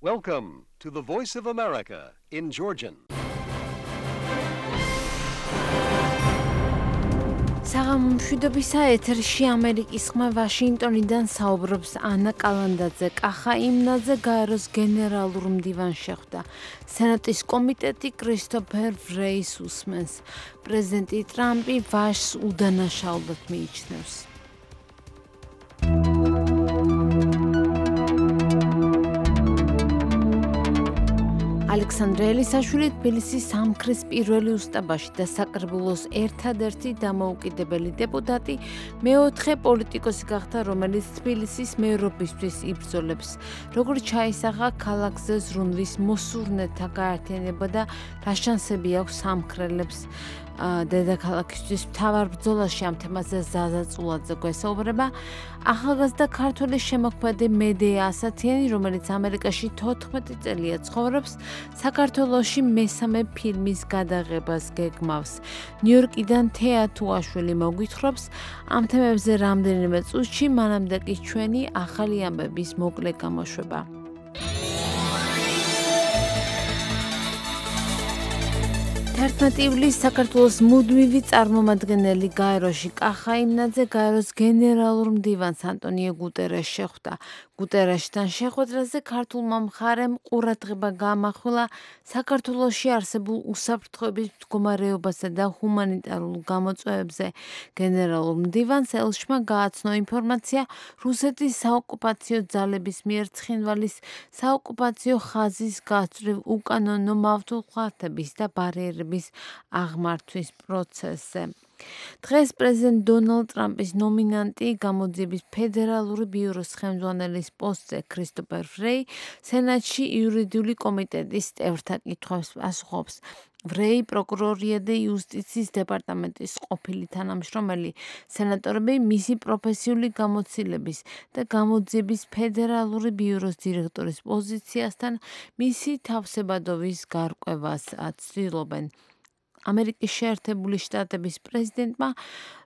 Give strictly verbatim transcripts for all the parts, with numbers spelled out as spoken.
Welcome to the Voice of America in Georgian. საღამომშვიდობისა ეთერში ამერიკის ხმა ვაშინგტონიდან საუბრობს ანა კალანდაძე. კახა იმნაძე გაეროს გენერალურ მდივანს შეხვდა. სენატის კომიტეტი კრისტოფერ ვრეის უსმენს. პრეზიდენტი ტრამპი ვაშს უდანაშაულოდ მიიჩნევს. ალექსანდრე ელისაშვილი თბილისის სამქრის პირველი უსტაბაში და საკრებულოს ერთადერთი დამოუკიდებელი დეპუტატი მეოთხე პოლიტიკოსი გახდა, რომელიც თბილისის მერობისთვის იბრძოლებს. როგორც ჩაისახა ქალაქზე ზრუნვის მოსურნეთა გაერთიანება და რა შანსები აქვს სამქრელებს დედაქალაქისთვის მთავარ ბრძოლაში ამ თემაზე ზაზა წულაძე გვესაუბრება. ახალგაზრდა ქართველი შემოქმედი მედეა ასათიანი, რომელიც ამერიკაში თოთხმეტი წელია ცხოვრობს, საქართველოში მესამე ფილმის გადაღებას გეგმავს. ნიუ-იორკიდან თეა თუაშვილი მოგვითხრობს ამ თემებზე რამდენიმე წუთში, მანამდე კი ჩვენი ახალი ამბების მოკლე გამოშვება. ერთმეტი ივლისს საქართველოს მუდმივი წარმომადგენელი გაეროში კახა იმნაძე გაეროს გენერალურ მდივანს ანტონიო გუტერეშს შეხვდა. გუტერეშთან შეხვედრაზე ქართულმა მხარემ ყურადღება გაამახვილა საქართველოში არსებულ უსაფრთხოების მდგომარეობასა და ჰუმანიტარულ გამოწვევებზე. გენერალურ მდივანს ელშმა გააცნო ინფორმაცია რუსეთის საოკუპაციო ძალების მიერ ცხინვალის საოკუპაციო ხაზის გაწვრივ უკანონო მავთულხათების და ბარიერების აღმართვის პროცესზე. დღეს პრეზიდენტ დონალდ ტრამპის ნომინანტი გამოძიების ფედერალური ბიუროს ხელმძღვანელის პოსტზე კრისტოფერ ვრეი სენატში იურიდიული კომიტეტის წევრთა კითხვებს პასუხობს. ვრეი პროკურორია და იუსტიციის დეპარტამენტის ყოფილი თანამშრომელი. სენატორები მისი პროფესიული გამოცდილების და გამოძიების ფედერალური ბიუროს დირექტორის პოზიციასთან მისი თავსებადობის გარკვევას ცდილობენ. ამერიკის შეერთებული შტატების პრეზიდენტმა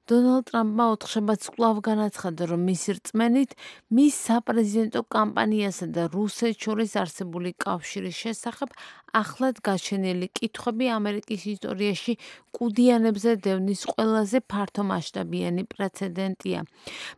დონალდ ტრამპმა ოთხშაბათს კვლავ განაცხადა, რომ მისი რწმენით მის საპრეზიდენტო კამპანიასა და რუსეთს შორის არსებული კავშირის შესახებ ახლად გაჩენილი კითხვები ამერიკის ისტორიაში კუდიანებზე დევნის ყველაზე ფართომასშტაბიანი პრეცედენტია.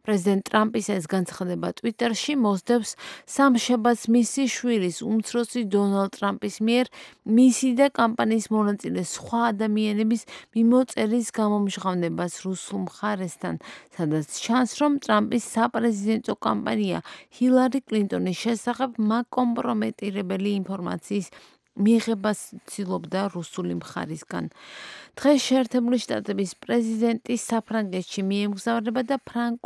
პრეზიდენტ ტრამპის ეს განცხადება ტვიტერში მოსდევს სამშაბათს მისი შვილის უმცროსი დონალდ ტრამპის მიერ მისი და კამპანიის მონაწილე სხვა ადამიანების მიმოწერის გამომჟღავნებას რუსულ მხარესთან, სადაც ჩანს, რომ ტრამპის საპრეზიდენტო კამპანია ჰილარი კლინტონის შესახებ მაკომპრომეტირებელი ინფორმაციის მიღებას ცდილობდა რუსული მხარისგან. დღეს შეერთებული შტატების პრეზიდენტი საფრანგეთში მიემგზავრება და ფრანგ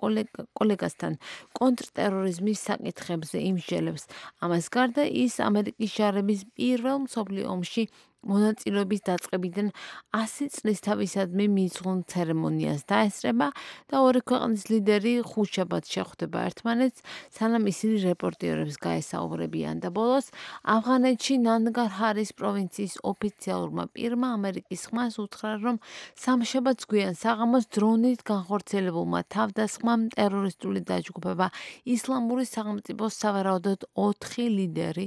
კოლეგასთან კონტრტერორიზმის საკითხებზე იმსჯელებს. ამას გარდა ის ამერიკის ჯარების პირველ მსოფლიო ომში მონაწილეობის დაწყებიდან ასი წლის თავისადმი მიძღვნ ცერემონიას დაესწრება და ორი ქვეყნის ლიდერი ხუთშაბათს შეხვდება ერთმანეთს, სანამ ისინი რეპორტიორებს გაესაუბრებიან და ბოლოს ავღანეთში ნანგარჰარის პროვინციის ოფიციალურმა პირმა ამერიკის ხმას უთხრა, რომ სამშაბათს გვიან საღამოს დრონით განხორციელებულმა თავდასხმამ ტერორისტული დაჯგუფება ისლამური სახელმწიფოს სავარაუდოდ ოთხი ლიდერი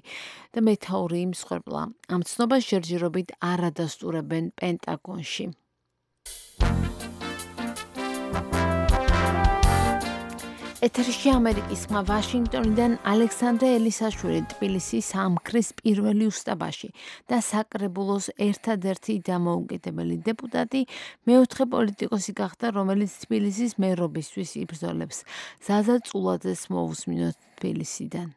და მეთაური იმსხვერპლა. ამ ცნობას ჯერჯერობით არ ადასტურებენ პენტაგონში. ეთერში ამერიკის ხმა ვაშინგტონიდან ალექსანდრე ელისაშვილი თბილისის სამქრის პირველი უსტაბაში და საკრებულოს ერთადერთი დამოუკიდებელი დეპუტატი მეოთხე პოლიტიკოსი გახდა, რომელიც თბილისის მერობისთვის იბრძოლებს. ზაზა წულაძეს მოусმინოთ თბილისიდან.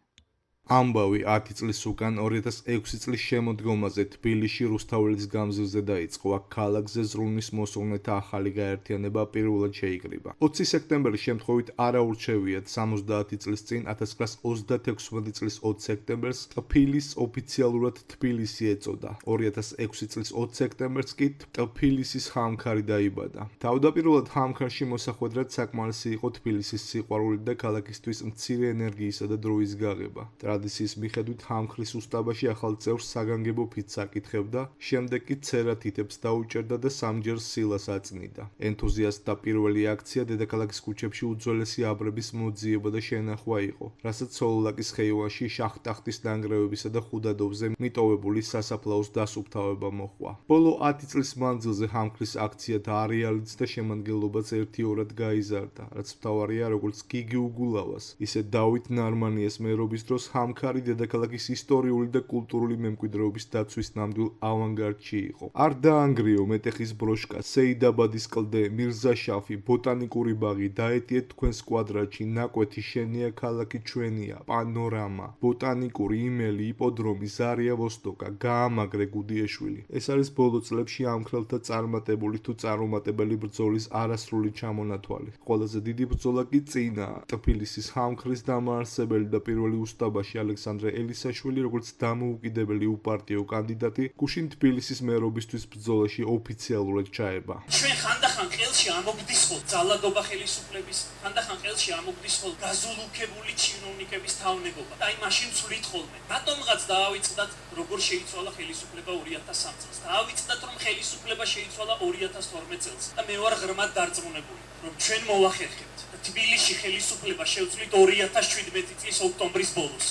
ამბავი ათი წლის უკან ორი ათას ექვსი წლის შემოდგომაზე თბილისში რუსთაველის გამზირზე დაიწყო. აქ ქალაქზე ზრუნვის მოსურნეთა ახალი გაერთიანება პირველად შეიკრიბა. ოცი სექტემბრის შემთხვევით არაურჩევიათ სამოცდაათი წლის წინ ათას ათასრვაასა ოცდათექვსმეტი წლის ოც სექტემბერს ტფილისს ოფიციალურად თბილისი ეწოდა. ორი ათას ექვსი წლის ოც სექტემბერს კი ტფილისის ხამქარი დაიბადა. თავდაპირველად ხამქარში მოსახვედრად საკმარისი იყო თბილისის სიყვარული და ქალაქისთვის მცირე ენერგიისა და დროის გაღება. ტრადიციის მიხედვით ჰამქრის უსტაბაში ახალ წევრს საგანგებო ფიცს აკითხებდა, შემდეგ კი ცერა თითებს დაუჭერდა და სამჯერ სილას აწნიდა. ენთუზიასტთა პირველი აქცია დედაქალაქის ქუჩებში უძველესი აბრების მოძიება და შენახვა იყო, რასაც სოლოლაკის ხეივანში შახტახტის ნანგრევებისა და ხუდადოვზე მიტოვებული სასაფლაოს დასუფთავება მოჰყვა. ბოლო ათი წლის მანძილზე ჰამქრის აქციათა არეალიც და შემადგენლობაც ერთიორად გაიზარდა, რაც მთავარია როგორც გიგი უგულავას, ისე დავით ნარმანიას მერობის დროს ჰამქარი დედაქალაქის ისტორიული და კულტურული მემკვიდრეობის დაცვის ნამდვილ ავანგარდში იყო. არ დაანგრიო მეტეხის ბროშკა, სეიდაბადის კლდე, მირზაშაფი, ბოტანიკური ბაღი, დაეტიეთ თქვენს კვადრატში, ნაკვეთი შენია, ქალაქი ჩვენია, პანორამა, ბოტანიკური იმელი, იპოდრომი, ზარია ვოსტოკა, გაამაგრე გუდიეშვილი. ეს არის ბოლო წლებში ამქრელთა წარმატებული თუ წარუმატებელი ბრძოლის არასრული ჩამონათვალი. ყველაზე დიდი ბრძოლა კი წინაა. ტფილისის ჰამქრის დამაარსებელი და პირველი უსტაბაში ალექსანდრე ელისაშვილი, როგორც დამოუკიდებელი უპარტიო კანდიდატი, გუშინ თბილისის მერობისთვის ბრძოლაში ოფიციალურად ჩაება. ჩვენ ხანდახან ყელში ამოგდისხოთ ძალადობა ხელისუფლების, ხანდახან ყელში ამოგდისხოთ გაზულუქებული ჩინოვნიკების თავნებობა. და აი მაშინ ვცვლით ხოლმე. რატომღაც დაავიწყდათ, როგორ შეიცვალა ხელისუფლება ორი ათას სამ წელს. დაავიწყდათ, რომ ხელისუფლება შეიცვალა ორი ათას თორმეტ წელს. და მე ვარ ღრმად დარწმუნებული, რომ ჩვენ მოვახერხებთ. თბილისში ხელისუფლება შევცვლით ორი ათას შვიდმეტი წლის ოქტომბრის ბოლოს.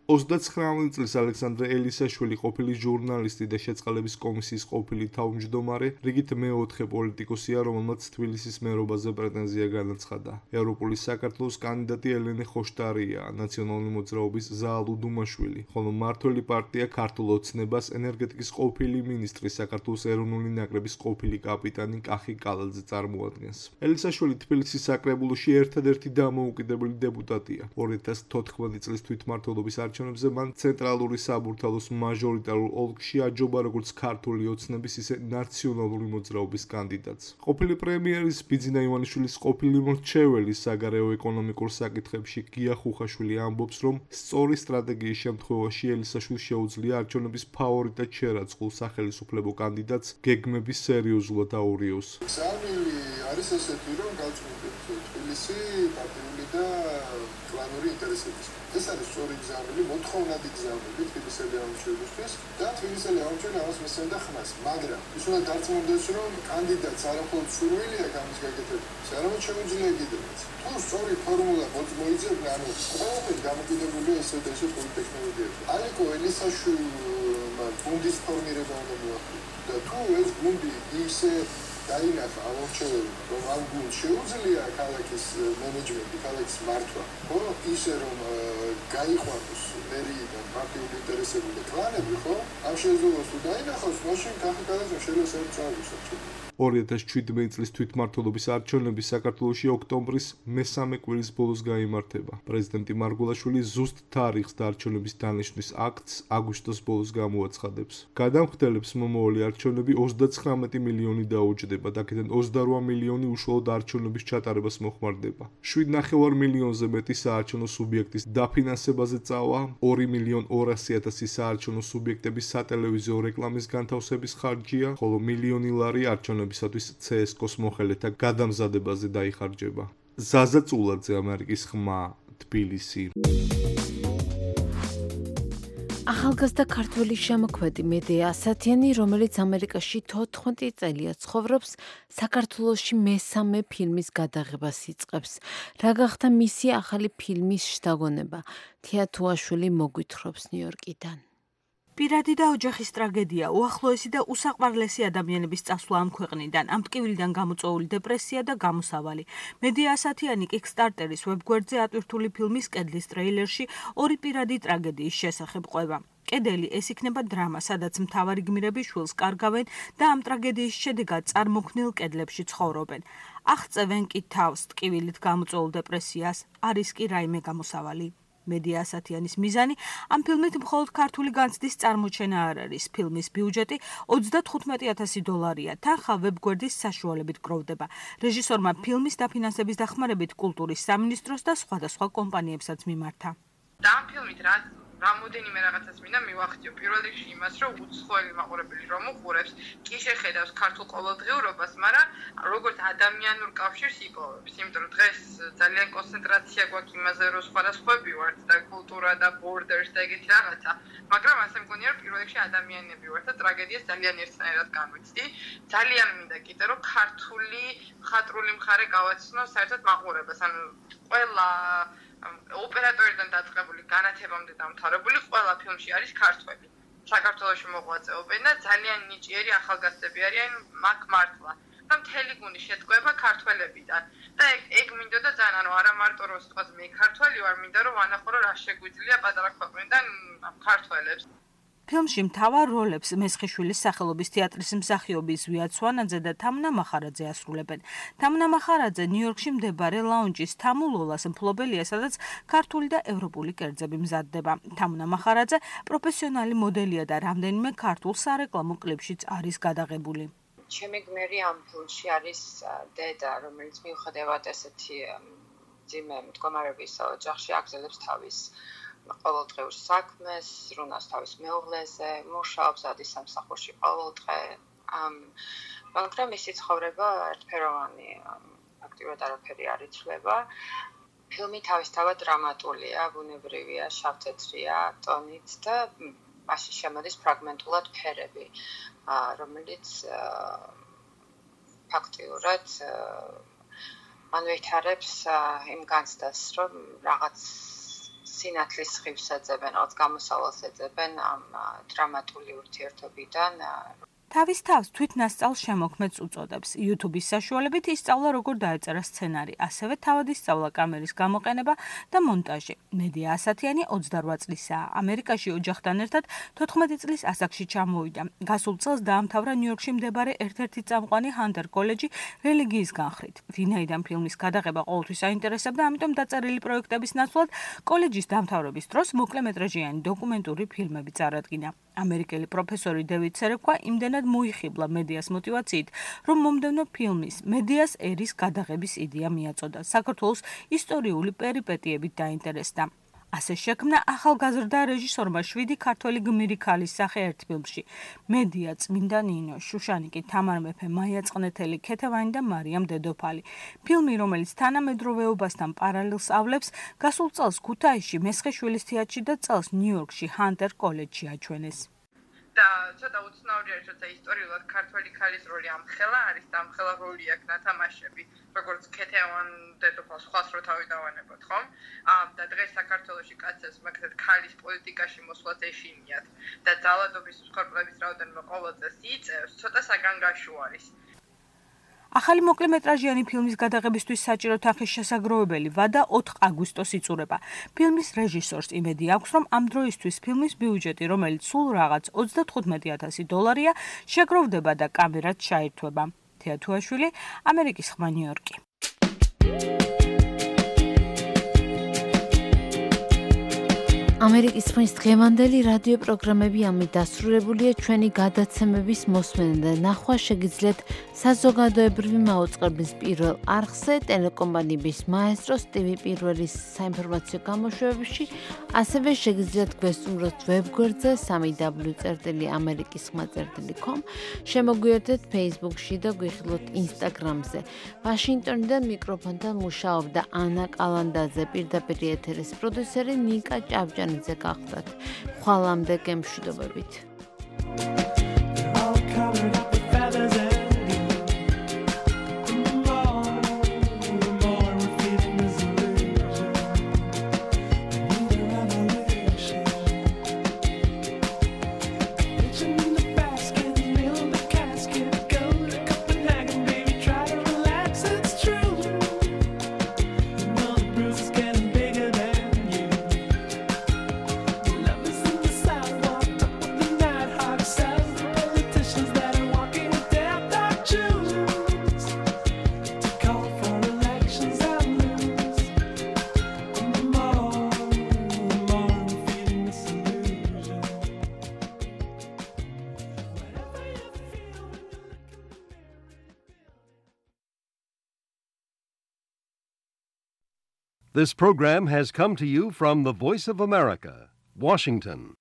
ოცდაცხრამეტი წლის ალექსანდრე ელისაშვილი ყოფილი ჟურნალისტი და შეწყალების კომისიის ყოფილი თავმჯდომარე, რიგით მეოთხე პოლიტიკოსია, რომელმაც თბილისის მერობაზე პრეტენზია განაცხადა. ევროპული საქართველოს კანდიდატი ელენე ხოშტარია, ნაციონალური მოძრაობის ზაალუ დუმაშვილი, ხოლო მმართველი პარტია ქართულ ოცნებას ენერგეტიკის ყოფილი მინისტრი, საქართველოს ეროვნული ნაკრების ყოფილი კაპიტანი კახი კალაძე წარმოადგენს. ელისაშვილი თბილისის საკრებულოში ერთადერთი დამოუკიდებელი დეპუტატია. ორი ათას თოთხმეტი წლის თვითმმართველობის არჩევნებზე მან ცენტრალური საბურთალოს მაჟორიტარულ ოლქში აჯობა როგორც ქართული ოცნების, ისე ნაციონალური მოძრაობის კანდიდატს. ყოფილი პრემიერის ბიძინა ივანიშვილის ყოფილი მრჩეველი საგარეო ეკონომიკურ საკითხებში გია ხუხაშვილი ამბობს, რომ სწორი სტრატეგიის შემთხვევაში ელისაშვილს შეუძლია არჩევნების ფავორიტად შერაცხულ სახელისუფლებო კანდიდატს გეგმების სერიოზულად აურიოს. სამილი არის ესეთი, რომ გავწმუნდეთ თბილისი პარტიული და კლანური ინტერესების. ეს არის სწორი გზამილი, მოთხოვნადი გზამილი თბილისელი ამორჩევლისთვის და თბილისელი ამორჩეველი ამას მისცემდა ხმას, მაგრამ ის უნდა დარწმუნდეს, რომ კანდიდატს არამხოლოდ სურვილი აქვს ამის გაკეთებისთვის, არამედ შეუძლია კიდევაც. თუ სწორი ფორმულა მოიძებნა, ანუ ყველაფერი დამოკიდებულია ესეთ და ესეთ პოლიტექნოლოგიებზე. ალეკო ელისაშვილმა გუნდის ფორმირება უნდა მოახდინოს და თუ ეს გუნდი ისე დაინახა ამორჩეველი, რომ ამ გუნდს შეუძლია ქალაქის მენეჯმენტი, ქალაქის მართვა, ხო, ისე რომ გაიყვანოს მერიიდან პარტიული ინტერესები და კლანები, ხო, ამ შესაძლებლობას თუ დაინახავს, მაშინ კახი კალაძე შეიძლება წავიდოს. ორი ათას შვიდმეტი წლის თვითმმართველობის არჩევნები საქართველოში ოქტომბრის მესამე კვირის ბოლოს გაიმართება. პრეზიდენტი მარგველაშვილი ზუსტ თარიღს და არჩევნების დანიშვნის აქტს აგვისტოს ბოლოს გამოაცხადებს. გადამხდელებს მომავალი არჩევნები ოცდაცხრამეტი მილიონი დაუჯდება და აქედან ოცდარვა მილიონი უშუალოდ არჩევნების ჩატარებას მოხმარდება. შვიდ ნახევარ მილიონზე მეტი საარჩევნო სუბიექტის დაფინანსებაზე წავა, ორი მილიონი ორასი ათასი საარჩევნო სუბიექტების სატელევიზიო რეკლამის განთავსების ხარჯია, ხოლო მილიონი ლარი არჩევნების ცსკოს მოხელეთა გადამზადებაზე დაიხარჯება. ზაზა წულაძე, ამერიკის ხმა, თბილისი. ახალგაზრდა ქართველი შემოქმედი მედეა ასათიანი, რომელიც ამერიკაში თოთხმეტი წელია ცხოვრობს, საქართველოში მესამე ფილმის გადაღებას იწყებს. რა გახდა მისი ახალი ფილმის შთაგონება? თია თუაშვილი მოგვითხრობს ნიუ-იორკიდან. პირადი და ოჯახის ტრაგედია, უახლოესი და უსაყვარლესი ადამიანების წასვლა ამ ქვეყნიდან, ამ ტკივილიდან გამოწვეული დეპრესია და გამოსავალი. მედეა ასათიანი Kickstarter-ის ვებგვერდზე ატვირთული ფილმის კედლის ტრეილერში ორი პირადი ტრაგედიის შესახებ ყვება. კედელი ეს იქნება დრამა, სადაც მთავარი გმირები შვილს კარგავენ და ამ ტრაგედიის შედეგად წარმოქმნილ კედლებში ცხოვრობენ. აღწევენ კი თავს ტკივილით გამოწვეულ დეპრესიას, არის კი რაიმე გამოსავალი. მედეა ასათიანის მიზანი ამ ფილმით მხოლოდ ქართული განცდის წარმოჩენა არ არის. ფილმის ბიუჯეტი ოცდათხუთმეტი ათასი დოლარია. თანხა ვებგვერდის საშუალებით გროვდება. რეჟისორმა ფილმის დაფინანსების დახმარებით კულტურის სამინისტროს და სხვადასხვა კომპანიებსაც მიმართა. და ამ ფილმით რაც რამოდენიმე რაღაცას მინდა მივახციო. პირველ რიგში იმას, რომ უცხოელი მაყურებელი რომ უყურებს, კი შეხედავს ქართულ ყოველდღიურობას, მაგრამ როგორც ადამიანურ კავშირს იპოვებს. იმიტომ რომ დღეს ძალიან კონცენტრაცია გვაქვს იმაზე, რომ სხვადასხვები ვართ და კულტურა და borders და ეგეთი რაღაცა, მაგრამ ასე მგონია, რომ პირველ რიგში ადამიანები ვართ და ტრაგედიას ძალიან ერთნაირად განვიცდი. ძალიან მინდა კიდე რომ ქართული მხატვრული მხარე გავაცნო საერთოდ მაყურებელს. ანუ ყველა ოპერატორიდან დაწყებული განათებამდე დამთავრებული ყველა ფილმში არის ქართველი. საქართველოში მოღვაწეობენ და ძალიან ნიჭიერი ახალგაზრდები არიან მაგ მართლა. და მთელი გუნდი შედგება ქართველებიდან. და ეგ ეგ მინდოდა ძალიან, ანუ არა მარტო რომ ვთქვათ მე ქართველი ვარ, მინდა რომ ვანახო რომ რა შეგვიძლია პატარა ქვეყნიდან ქართველებს. ფილმში მთავარ როლებს მესხიშვილის სახელობის თეატრის მსახიობი ზვია ცვანაძე და თამნა მახარაძე ასრულებენ. თამნა მახარაძე ნიუ-იორკში მდებარე ლაუნჯის თამულოლას მფლობელია, სადაც ქართული და ევროპული კერძები მზადდება. თამნა მახარაძე პროფესიონალი მოდელია და რამდენიმე ქართულ სარეკლამო კლიპშიც არის გადაღებული. ჩემი გმირი ამ ფილმში არის დედა, რომელიც მიუხედავად ესეთი ძიმე მდგომარეობის ოჯახში აგზელებს თავის ყოველდღიურ საქმეს, ზრუნავს თავის მეუღლეზე, მუშაობს ადის სამსახურში ყოველდღე. მაგრამ მისი ცხოვრება ერთფეროვანი, ფაქტიურად არაფერი არ იცვლება. ფილმი თავისთავად დრამატულია, ბუნებრივია, შავთეთრია ტონით და მასში შემოდის ფრაგმენტულად ფერები, რომელიც ფაქტიურად მან ვითარებს იმ განცდას, რომ რაღაც სინათლის ხივს ეძებენ, რაღაც გამოსავალს ეძებენ ამ დრამატული ურთიერთობიდან. თავის თავს თვითნასწავლ შემოქმედს უწოდებს. YouTube-ის საშუალებით ისწავლა როგორ დაეწერა სცენარი, ასევე თავად ისწავლა კამერის გამოყენება და მონტაჟი. მედია ასათიანი ოცდარვა წლისაა. ამერიკაში ოჯახთან ერთად თოთხმეტი წლის ასაკში ჩამოვიდა. გასულ წელს დაამთავრა ნიუ-იორკში მდებარე ერთ-ერთი წამყვანი ჰანტერ კოლეჯი რელიგიის განხრით. ვინაიდან ფილმის გადაღება ყოველთვის აინტერესებდა, ამიტომ დაწერილი პროექტების ნაცვლად კოლეჯის დამთავრების დროს მოკლემეტრაჟიანი დოკუმენტური ფილმები წარადგინა. ამერიკელი პროფესორი დევიდ სერეკვა იმდენად მოიხიბლა მედიას მოტივაციით, რომ მომდევნო ფილმის მედიას ერის გადაღების იდეა მიაწოდა. საქართველოს ისტორიული პერიპეტიებით დაინტერესდა. ასე შექმნა ახალგაზრდა რეჟისორმა შვიდი ქართველი გმირი ქალის სახე ერთ ფილმში. მედია, წმინდა ნინო, შუშანიკი, თამარ მეფე, მაია წყნეთელი, ქეთევანი და მარიამ დედოფალი. ფილმი, რომელიც თანამედროვეობასთან პარალელს ავლებს, გასულ წელს ქუთაისში მესხიშვილის თეატრში და წელს ნიუ-იორკში ჰანტერ კოლეჯში აჩვენეს. და ცოტა უცნაური არის, როცა ისტორიულად ქართველი ქალის როლი ამხელა არის და ამხელა როლი აქვს ნათამაშები, როგორც ქეთევან დედოფალს ხვალს რო თავი დავანებოთ, ხომ? და დღეს საქართველოში კაცებს მაგათ ქალის პოლიტიკაში მოსვლას ეშინიათ და ძალადობის მსხვერპლების რაოდენობა ყოველ წელს იწევს, ცოტა საგანგაშო არის. ახალი მოკლემეტრაჟიანი ფილმის გადაღებისთვის საჭირო თანხის შესაგროვებელი ვადა ოთხ აგვისტოს იწურება. ფილმის რეჟისორს იმედი აქვს, რომ ამ დროისთვის ფილმის ბიუჯეტი, რომელიც სულ რაღაც ოცდათხუთმეტი ათასი დოლარია, შეგროვდება და კამერაც ჩაირთვება. თეა თუაშვილი, ამერიკის ხმა ნიუ-იორკი. ამერიკის ხმის დღევანდელი რადიო პროგრამები ამით დასრულებულია. ჩვენი გადაცემების მოსმენა და ნახვა შეგიძლიათ საზოგადოებრივი მაუწყებლის პირველ არხზე, ტელეკომპანიების მაესტროს ტივი პირველის საინფორმაციო გამოშვებებში, ასევე შეგიძლიათ გვესტუმროთ ვებგვერდზე სამი დაბლიუ წერტილი ამერიკის ხმა წერტილი კომ, შემოგვიერთდეთ Facebook-ში და გვიხილოთ Instagram-ზე. ვაშინგტონიდან მიკროფონთან მუშაობდა ანა კალანდაძე, პირდაპირ ეთერის პროდიუსერი ნიკა ჭავჭა ზე გახდათ. ხვალამდე გემშვიდობებით. This program has come to you from the Voice of America, Washington.